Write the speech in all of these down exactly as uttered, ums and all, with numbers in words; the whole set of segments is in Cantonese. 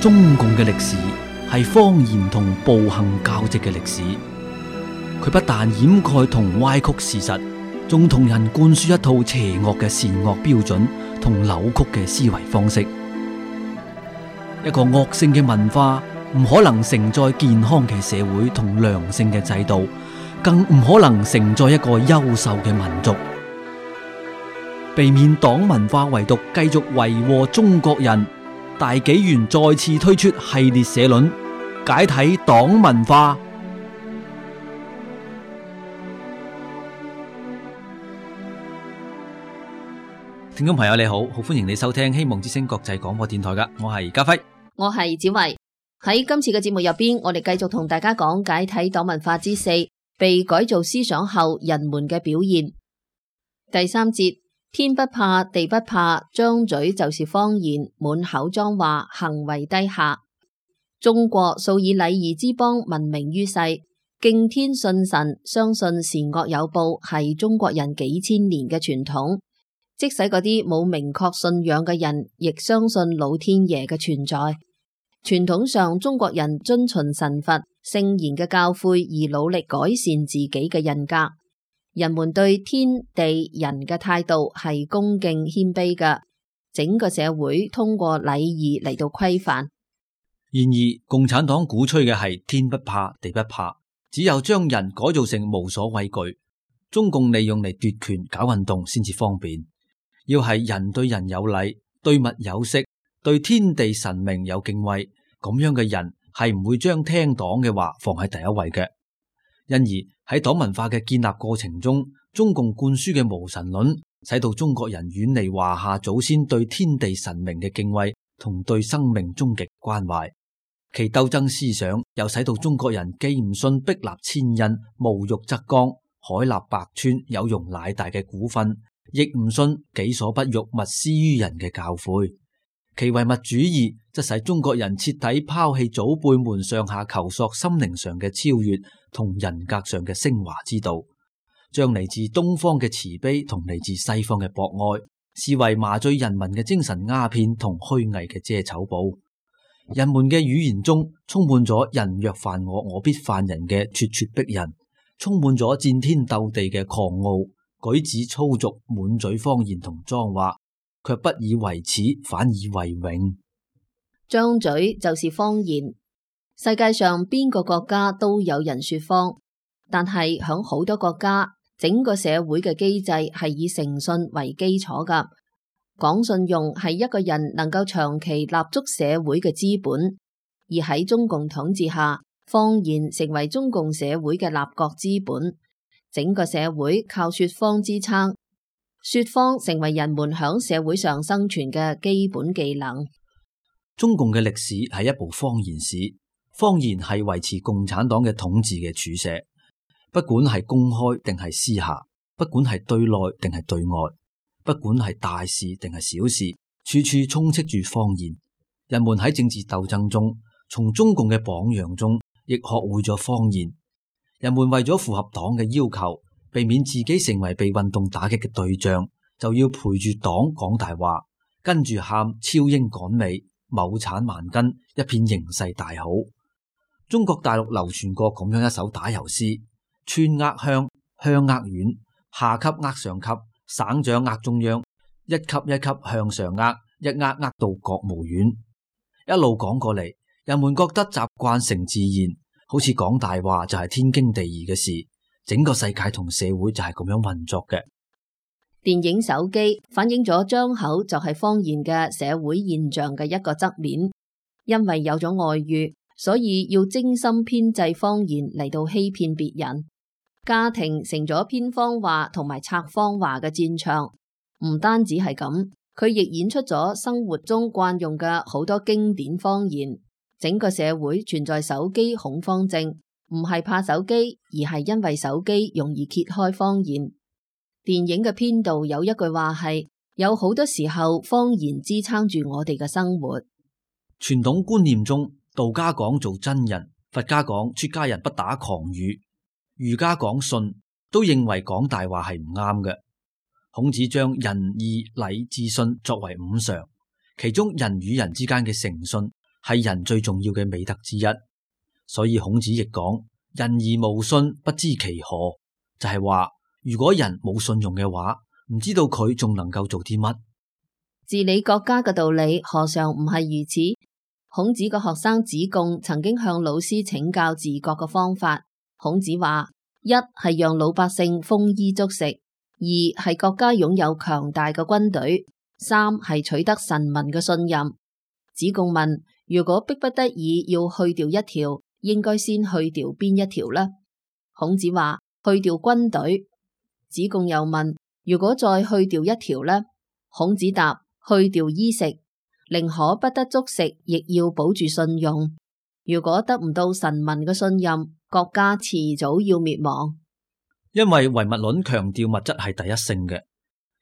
中共嘅歷史係謊言同暴行交織嘅歷史，佢不但掩蓋同歪曲事實，仲同人灌輸一套邪惡嘅善惡標準同扭曲嘅思維方式。一個惡性嘅文化唔可能承載健康嘅社會同良性嘅制度，更唔可能承載一個優秀嘅民族。避免黨文化遺毒繼續為禍中國人，大紀元再次推出系列社論，解體黨文化。聽眾朋友你好，好歡迎你收聽希望之聲國際廣播電台噶，我係家輝，我係子維。喺今次嘅節目入邊，我哋繼續同大家講解體黨文化之四，被改造思想後人們嘅表現。第三節，天不怕地不怕，張嘴就是謊言，滿口髒話，行為低下。中國素以禮儀之邦聞名於世，敬天信神，相信善惡有報，係中國人幾千年嘅傳統。即使嗰啲冇明確信仰嘅人，亦相信老天爺嘅存在。傳統上，中國人遵循神佛聖賢嘅教誨而努力改善自己嘅人格。人們對天地人嘅態度係恭敬謙卑嘅，整個社會通過禮儀嚟到規範。然而，共產黨鼓吹嘅係天不怕地不怕，只有將人改造成無所畏懼。中共利用嚟奪權搞運動先至方便。要係人對人有禮，對物有識，對天地神明有敬畏，咁樣嘅人係唔會將聽黨嘅話放喺第一位嘅。因而喺黨文化嘅建立過程中，中共灌輸嘅無神論，使到中國人遠離華夏祖先對天地神明嘅敬畏同對生命終極關懷。其鬥爭思想又使到中國人既唔信壁立千仞、無欲則剛、海納百川、有容乃大嘅古訓，亦唔信己所不欲，勿施於人嘅教誨。其唯物主義則使中國人徹底拋棄祖輩們上下求索心靈上嘅超越同人格上嘅升華之道，將嚟自東方嘅慈悲同嚟自西方嘅博愛視為麻醉人民嘅精神鴉片同虛偽嘅遮醜布。人們嘅語言中充滿咗人若犯我，我必犯人嘅咄咄逼人，充滿咗戰天鬥地嘅狂傲，舉止粗俗，滿嘴謊言同髒話，卻不以為恥，反以為榮。張嘴就是謊言。世界上邊個國家都有人說謊，但係響好多國家，整個社會嘅機制係以誠信為基礎噶。講信用係一個人能夠長期立足社會嘅資本，而喺中共統治下，謊言成為中共社會嘅立國資本。整個社會靠說謊支撐，說謊成為人們響社會上生存嘅基本技能。中共嘅歷史係一部謊言史，謊言係維持共產黨嘅統治嘅柱石，不管係公開定係私下，不管係對內定係對外，不管係大事定係小事，處處充斥住謊言。人們喺政治鬥爭中，從中共嘅榜樣中，亦學會咗謊言。人們為咗符合黨嘅要求，避免自己成為被運動打擊嘅對象，就要陪住黨講大話，跟住喊超英趕美、畝產萬斤，一片形勢大好。中國大陸流傳過咁樣一首打油詩：村呃鄉，鄉呃縣，下級呃上級，省長呃中央，一級一級向上呃，一呃呃到國務院。一路講過嚟，人們覺得習慣成自然，好似講大話就係天經地義嘅事，整個世界同社會就係咁樣運作嘅。電影手機反映咗張口就係謊言嘅社會現象嘅一個側面，因為有咗外遇，所以要精心編製謊言嚟到欺騙別人。家庭成咗編謊話同埋拆謊話嘅戰場。唔單止係咁，佢亦演出咗生活中慣用嘅好多經典謊言。整個社會存在手機恐慌症，唔係怕手機，而係因為手機容易揭開謊言。電影嘅編導有一句話係：有好多時候謊言支撐住我哋嘅生活。傳統觀念中，道家講做真人，佛家講出家人不打誑語，儒家講信，都認為講大話係唔啱嘅。孔子將仁義禮智信作為五常，其中人與人之間嘅誠信係人最重要嘅美德之一。所以孔子亦講：人而無信，不知其何。就係話，如果人冇信用嘅話，唔知道佢仲能夠做啲乜。治理國家嘅道理何嘗唔係如此？孔子個學生子貢曾經向老師請教治國嘅方法。孔子話：一係讓老百姓豐衣足食，二係國家擁有強大嘅軍隊，三係取得臣民嘅信任。子貢問：如果迫不得已要去掉一條，應該先去掉邊一條呢？孔子話：去掉軍隊。子貢又問：如果再去掉一條呢？孔子答：去掉衣食，寧可不得足食，亦要保住信用。如果得唔到臣民嘅信任，國家遲早要滅亡。因為唯物論強調物質係第一性嘅，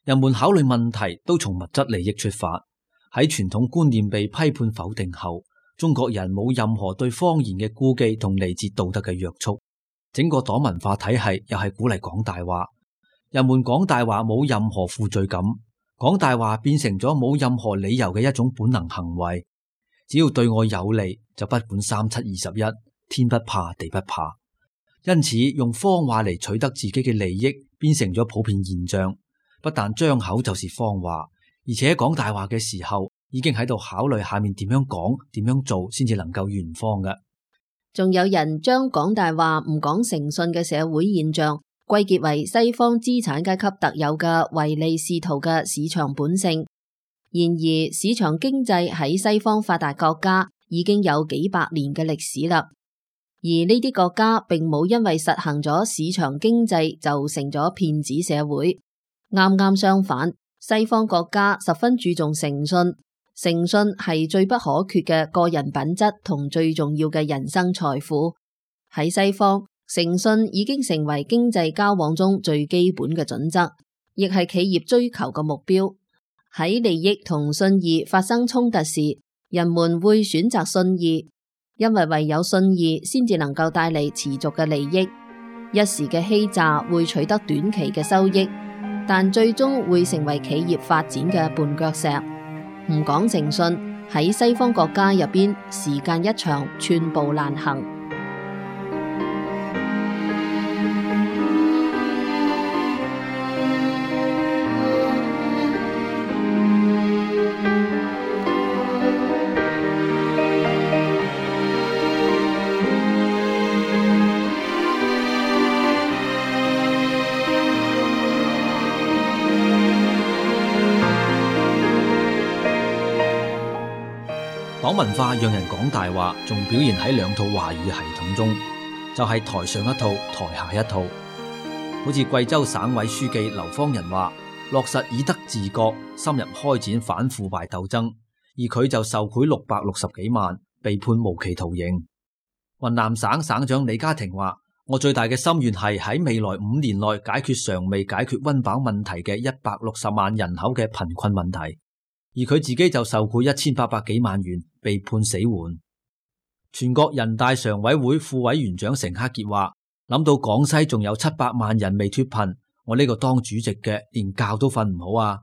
人們考慮問題都從物質利益出發。喺傳統觀念被批判否定後，中國人冇任何對謊言嘅顧忌同嚟自道德嘅約束。整個黨文化體系又係鼓勵講大話，人們講大話冇任何負罪感，講大話變成咗冇任何理由嘅一種本能行為。只要對我有利，就不管三七二十一，天不怕地不怕。因此，用謊話嚟取得自己嘅利益，變成咗普遍現象。不但張口就是謊話，而且講大話嘅時候，已經喺度考慮下面點樣講、點樣做，先至能夠圓謊嘅。仲有人將講大話唔講誠信嘅社會現象歸結為西方資產階級特有嘅唯利是圖嘅市場本性。然而，市場經濟喺西方發達國家已經有幾百年嘅歷史啦。而呢啲國家並冇因為實行咗市場經濟就成咗騙子社會。啱啱相反，西方國家十分注重誠信，誠信係最不可缺嘅個人品質同最重要嘅人生財富。喺西方，誠信已經成為經濟交往中最基本嘅準則，亦係企業追求嘅目標。喺利益同信義發生衝突時，人們會選擇信義，因為唯有信義先至能夠帶嚟持續嘅利益。一時嘅欺詐會取得短期嘅收益，但最終會成為企業發展嘅絆腳石。唔講誠信，喺西方國家入邊，時間一長，寸步難行。黨文化讓人講大話，仲表現喺兩套話語系統中，就係台上一套，台下一套。好似貴州省委書記劉方仁話，落實以德治國，深入開展反腐敗鬥爭，而佢就受賄六百六十幾萬，被判無期徒刑。雲南省省長李家廷話，我最大嘅心願係喺未來五年內解決尚未解決溫飽問題嘅一百六十萬人口嘅貧困問題。而佢自己就受賄一千八百幾萬元，被判死緩。全國人大常委會副委員長成克傑話，諗到廣西仲有七百萬人未脫貧，我呢個當主席嘅連覺都瞓唔好啊。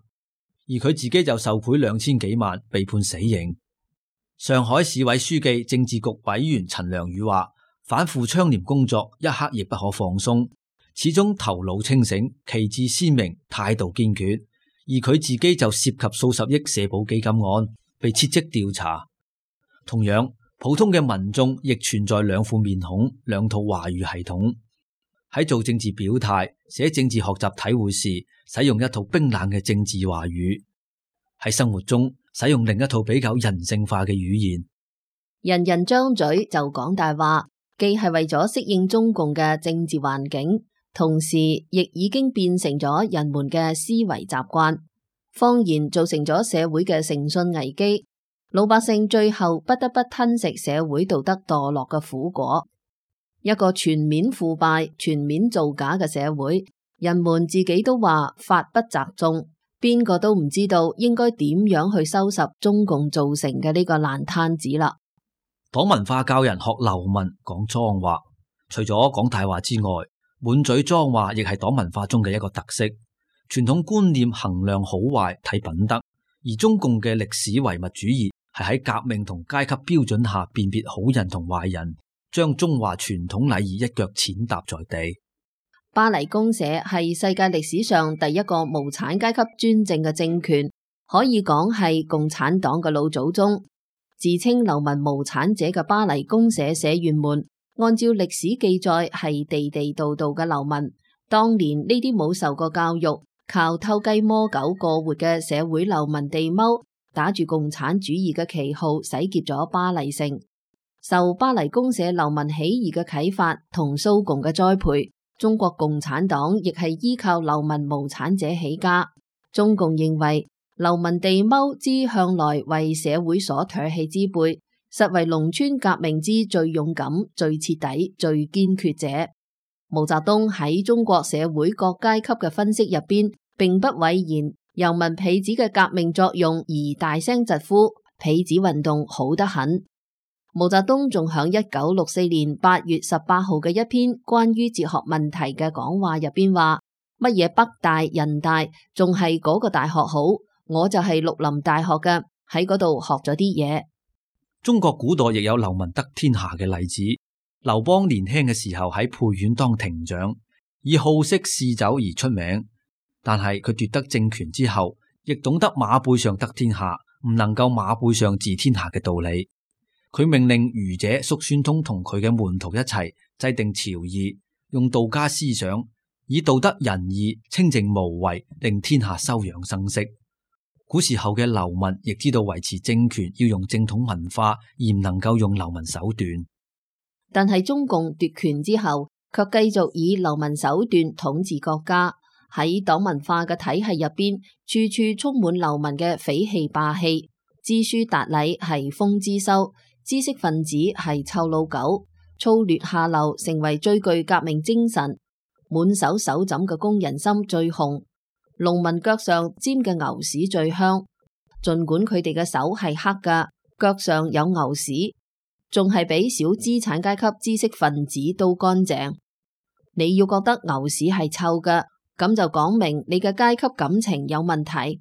而佢自己就受賄兩千幾萬，被判死刑。上海市委書記政治局委員陳良宇話，反腐倡廉工作一刻亦不可放鬆，始終頭腦清醒，旗幟鮮明，態度堅決。而佢自己就涉及數十億社保基金案，被撤職調查。同樣，普通嘅民眾亦存在兩副面孔、兩套話語系統。喺做政治表態、寫政治學習體會時，使用一套冰冷嘅政治話語；喺生活中，使用另一套比較人性化嘅語言。人人張嘴就講大話，既係為咗適應中共嘅政治環境，同時亦已經變成咗人們嘅思維習慣。謊言造成咗社會嘅誠信危機，老百姓最後不得不吞食社會道德墮落嘅苦果。一個全面腐敗、全面造假嘅社會，人們自己都話法不責眾，邊個都唔知道應該點樣去收拾中共造成嘅呢個爛攤子啦。黨文化教人學流氓講髒話，除咗講大話之外，滿嘴髒話亦係黨文化中嘅一個特色。傳統觀念衡量好壞睇品德，而中共嘅歷史唯物主義係喺革命同階級標準下辨別好人同壞人，將中華傳統禮儀一腳踐踏在地。巴黎公社係世界歷史上第一個無產階級專政嘅政權，可以講係共產黨嘅老祖宗。自稱流民無產者嘅巴黎公社社員們，按照歷史記載係地地道道嘅流民。當年呢啲冇受過教育、靠偷雞摸狗過活嘅社會流民地踎，打住共產主義嘅旗號洗劫咗巴黎城。受巴黎公社流民起義嘅啟發同蘇共嘅栽培，中國共產黨亦係依靠流民無產者起家。中共認為流民地踎之向來為社會所唾棄之輩，實為農村革命之最勇敢、最徹底、最堅決者。毛澤東喺中國社會各階級嘅分析入邊，並不諱言遊民痞子嘅革命作用，而大聲疾呼痞子運動好得很。毛澤東仲響一九六四年八月十八號嘅一篇關於哲學問題嘅講話入邊話：乜嘢北大、人大，仲係嗰個大學好，我就係綠林大學嘅，喺嗰度學咗啲嘢。中國古代亦有流民得天下嘅例子。劉邦年輕嘅時候喺沛縣當亭長，以好色嗜酒而出名，但係佢奪得政權之後，亦懂得馬背上得天下，唔能夠馬背上治天下嘅道理。佢命令儒者叔孫通同佢嘅門徒一齊制定朝議，用道家思想，以道德仁義、清淨無為，令天下休養生息。古時候嘅流民亦知道維持政權要用正統文化，而唔能夠用流民手段。但係中共奪權之後，卻繼續以流民手段統治國家。喺黨文化嘅體系入邊，處處充滿流民嘅匪氣霸氣。知書達禮係瘋之修，知識分子係臭老狗，粗劣下流成為最具革命精神。滿手手枕嘅工人心最紅，農民腳上沾嘅牛屎最香。盡管佢哋嘅手係黑㗎，腳上有牛屎，仲係比小資產階級知識分子都乾淨。你要覺得牛屎係臭㗎，咁就講明你嘅階級感情有問題。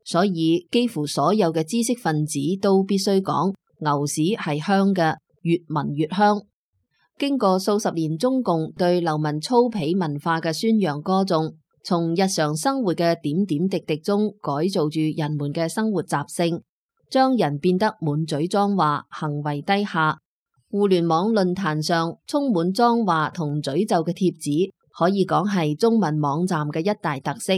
所以幾乎所有嘅知識分子都必須講牛屎係香嘅，越聞越香。經過數十年中共對流民粗鄙文化嘅宣揚歌頌，從日常生活嘅點點滴滴中改造住人們嘅生活習性，將人變得滿嘴髒話，行為低下。互聯網論壇上充滿髒話同詛咒嘅帖子，可以講係中文網站嘅一大特色。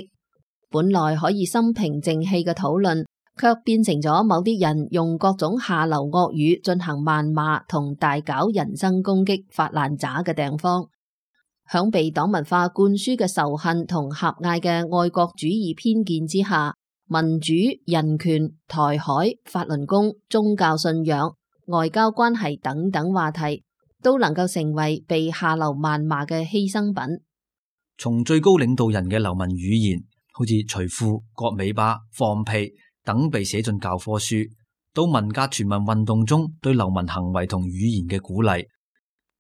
本來可以心平靜氣嘅討論，卻變成咗某啲人用各種下流惡語進行謾罵同大搞人身攻擊、發爛渣嘅地方。響被黨文化灌輸嘅仇恨同狹隘嘅愛國主義偏見之下，民主、人權、台海、法輪功、宗教信仰、外交關係等等話題，都能夠成為被下流謾罵嘅犧牲品。從最高領導人嘅流民語言，好似除褲、割尾巴、放屁等被寫進教科書，到文革全民運動中對流民行為同語言嘅鼓勵，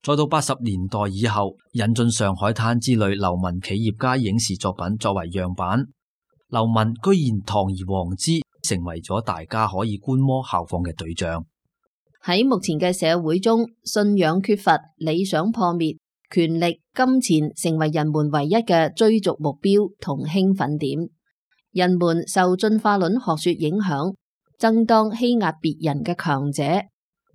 再到八十年代以後引進上海灘之類流民企業家影視作品作為樣板，流民居然堂而皇之成為咗大家可以觀摩效仿嘅對象。喺目前嘅社會中，信仰缺乏、理想破滅、權力、金錢成為人們唯一嘅追逐目標同興奮點。人們受進化論學說影響，爭當欺壓別人嘅強者，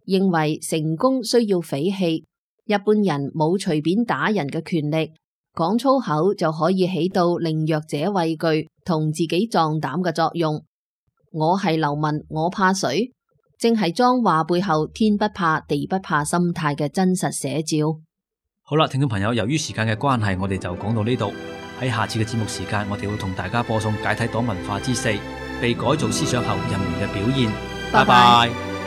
認為成功需要匪氣。一般人冇隨便打人嘅權力，講粗口就可以起到令弱者畏懼同自己壯膽嘅作用。我係流民，我怕誰？正係髒話背後天不怕地不怕心態嘅真實寫照。好啦，聽眾朋友，由於時間嘅關係，我哋就講到呢度。喺下次嘅節目時間，我哋會同大家播送解體黨文化之四，被改造思想後人們嘅表現。拜拜。